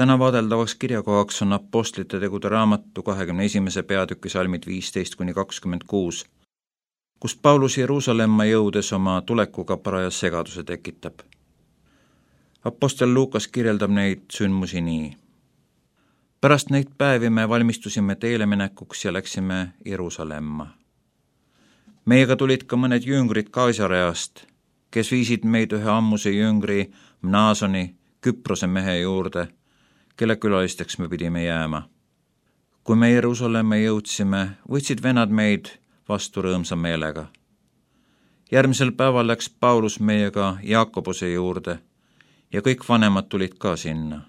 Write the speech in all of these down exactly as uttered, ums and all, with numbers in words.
Täna vaadeldavaks kirjakohaks on Apostlite tegude raamatu kahekümne esimese peatüki salmid viisteist kuni kakskümmend kuus, kus Paulus Jeruusalemma jõudes oma tulekuga paraja segaduse tekitab. Apostel Luukas kirjeldab neid sündmusi nii. Pärast neid päevi me valmistusime teele minekuks ja läksime Jeruusalemma. Meiega tulid ka mõned jüngrid Kaisareast, kes viisid meid ühe ammuse jüngri Mnaasoni, Küprose mehe juurde, kelle külalisteks me pidime jääma. Kui me Jeruusalemma jõudsime, võtsid vennad meid vastu rõõmsa meelega. Järgmisel päeval läks Paulus meiega Jaakobuse juurde ja kõik vanemad tulid ka sinna.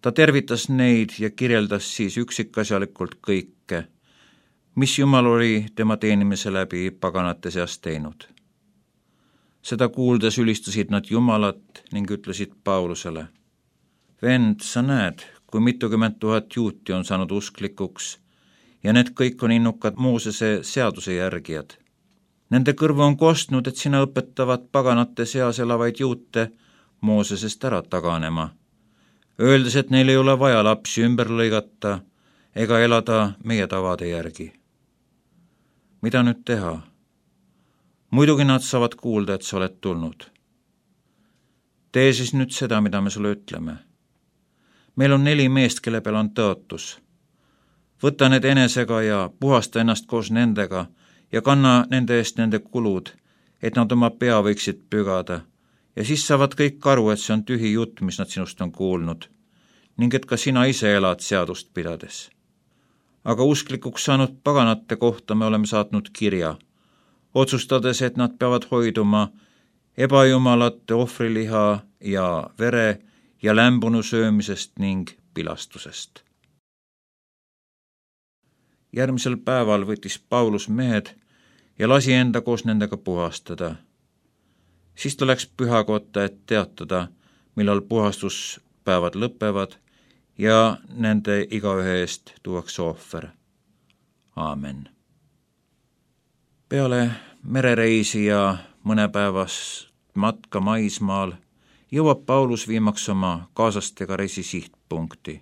Ta tervitas neid ja kirjeldas siis üksikasjalikult kõike, mis Jumal oli tema teenimise läbi paganate seast teinud. Seda kuuldes ülistasid nad Jumalat ning ütlesid Paulusele: Vend, sa näed, kui mitukümmend tuhat juuti on saanud usklikuks ja need kõik on innukad Moosese seaduse järgijad. Nende kõrvu on kostnud, et sina õpetavad paganate seas elavaid juute Moosesest ära taganema, öeldes, et neil ei ole vaja lapsi ümber lõigata ega elada meie tavade järgi. Mida nüüd teha? Muidugi nad saavad kuulda, et sa oled tulnud. Tee siis nüüd seda, mida me sulle ütleme. Meil on neli meest, kelle peal on tõotus. Võta need enesega ja puhasta ennast koos nendega ja kanna nende eest nende kulud, et nad oma pea võiksid pügada, ja siis saavad kõik aru, et see on tühi jutt, mis nad sinust on kuulnud, ning et ka sina ise elad seadust pidades. Aga usklikuks saanud paganate kohta me oleme saatnud kirja, otsustades, et nad peavad hoiduma ebajumalate ohvriliha ja vere ja lämbunu söömisest ning pilastusest. Järgmisel päeval võttis Paulus mehed ja lasi enda koos nendega puhastada. Siis ta läks pühakotta, et teatada, millal puhastuspäevad lõpevad ja nende igaühe eest tuuakse ohver. Aamen. Peale merereisi ja mõnepäevast matka maismaal jõuab Paulus viimaks oma kaaslastega reisi sihtpunkti.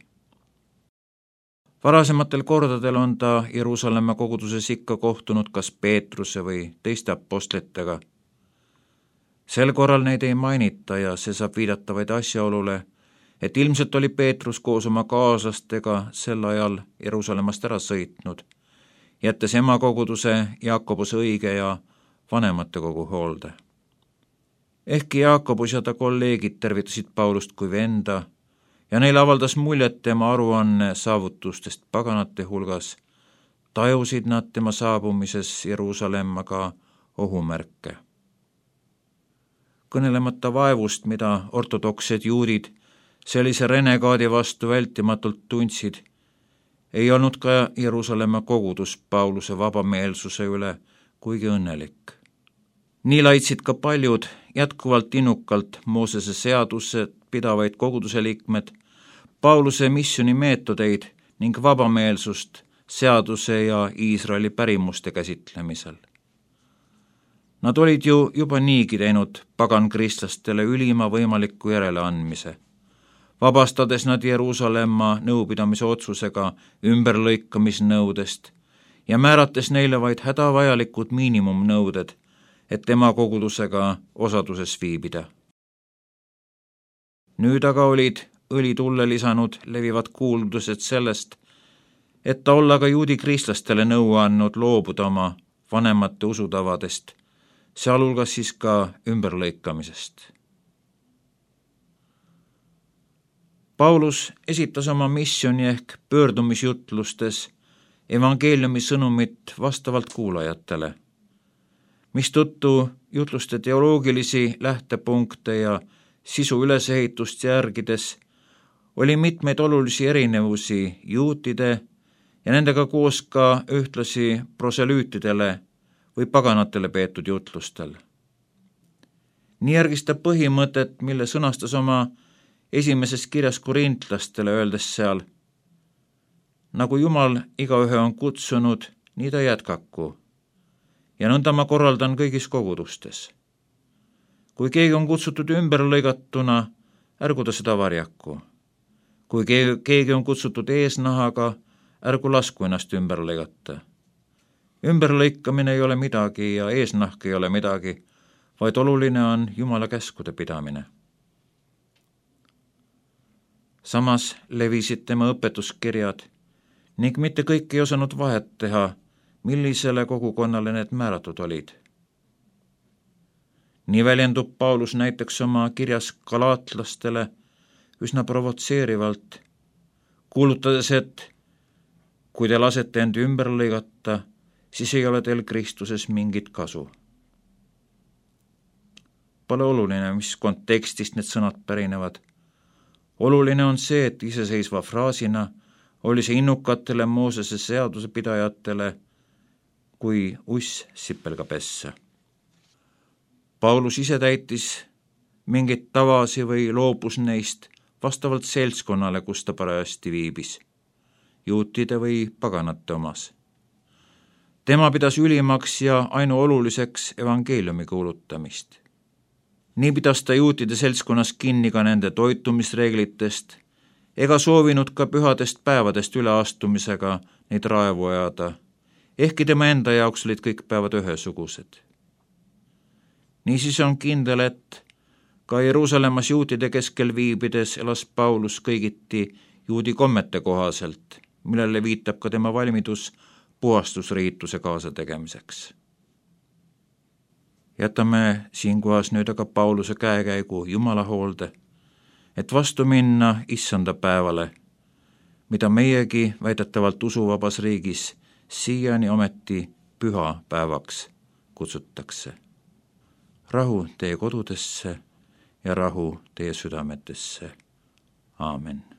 Varasematel kordadel on ta Jeruusalemma koguduses ikka kohtunud kas Peetruse või teiste apostlitega. Sel korral neid ei mainita ja see saab viidata vaid asjaolule, et ilmselt oli Peetrus koos oma kaaslastega sel ajal Jeruusalemmast ära sõitnud, jättes ema koguduse Jaakobuse õige ja vanemate kogu hoolde. Ehkki Jaakobus ja ta kolleegid tervitasid Paulust kui venda ja neile avaldas muljet tema aruanne saavutustest paganate hulgas, tajusid nad tema saabumises Jeruusalemma ka ohumärke. Kõnelemata vaevust, mida ortodoksed juudid sellise renegaadi vastu vältimatult tundsid, ei olnud ka Jeruusalemma kogudus Pauluse vabameelsuse üle kuigi õnnelik. Nii laitsid ka paljud jätkuvalt innukalt Moosese seaduse pidavaid koguduse liikmed Pauluse missiooni meetodeid ning vabameelsust seaduse ja Iisraeli pärimuste käsitlemisel. Nad olid ju juba niigi teinud pagankristlastele ülima võimaliku järeleandmise, vabastades nad Jeruusalemma nõupidamise otsusega ümberlõikamisnõudest ja määrates neile vaid hädavajalikud miinimumnõuded, et tema kogudusega osaduses viibida. Nüüd aga olid õli tulle lisanud levivad kuuldused sellest, et ta olla ka juudi kristlastele nõu andnud loobuda oma vanemate usutavadest, sealhulgas siis ka ümberlõikamisest. Paulus esitas oma missiooni ehk pöördumisjutlustes evangeeliumi sõnumit vastavalt kuulajatele, mistõttu jutluste teoloogilisi lähtepunkte ja sisu ülesehitust järgides oli mitmeid olulisi erinevusi juutide ja nendega koos ka ühtlasi proselüütidele või paganatele peetud jutlustel. Nii järgis ta põhimõtet, mille sõnastas oma esimeses kirjas korintlastele, öeldes seal: nagu Jumal igaühe on kutsunud, nii ta jätkaku, ja nõnda ma korraldan kõigis kogudustes. Kui keegi on kutsutud ümberlõigatuna, ärgu ta seda varjaku. kui keegi on kutsutud eesnahaga, ärgu lasku ennast ümber lõigata. Ümberlõikamine ei ole midagi ja eesnahk ei ole midagi, vaid oluline on Jumala käskude pidamine. Samas levisid tema õpetuskirjad ning mitte kõik ei osanud vahet teha, millisele kogukonnale need määratud olid. Nii väljendub Paulus näiteks oma kirjas galaatlastele üsna provotseerivalt, kuulutades, et kui te lasete end ümber lõigata, siis ei ole teil Kristuses mingit kasu. Pole oluline, mis kontekstist need sõnad pärinevad. Oluline on see, et iseseisva fraasina oli see innukatele Moosese seadusepidajatele kui uss sipelga pessa. Paulus ise täitis mingeid tavasi või loobus neist vastavalt seltskonnale, kus ta parajasti viibis, juutide või paganate omas. Tema pidas ülimaks ja ainuoluliseks evangeeliumi kuulutamist. Nii pidas ta juutide seltskonnas kinni ka nende toitumisreeglitest, ega soovinud ka pühadest päevadest üleastumisega neid raevu ajada, ehkki tema enda jaoks olid kõik päevad ühesugused. Niisiis on kindel, et ka Jeruusalemmas juutide keskel viibides elas Paulus kõigiti juudi kommete kohaselt, millele viitab ka tema valmidus puhastusriituse kaasategemiseks. Jätame siinkohas nüüd aga Pauluse käekäigu Jumala hoolde, et vastu minna issanda päevale, mida meiegi väidetavalt usuvabas riigis siiani ometi püha päevaks kutsutakse. Rahu teie kodudesse ja rahu teie südametesse. Aamen.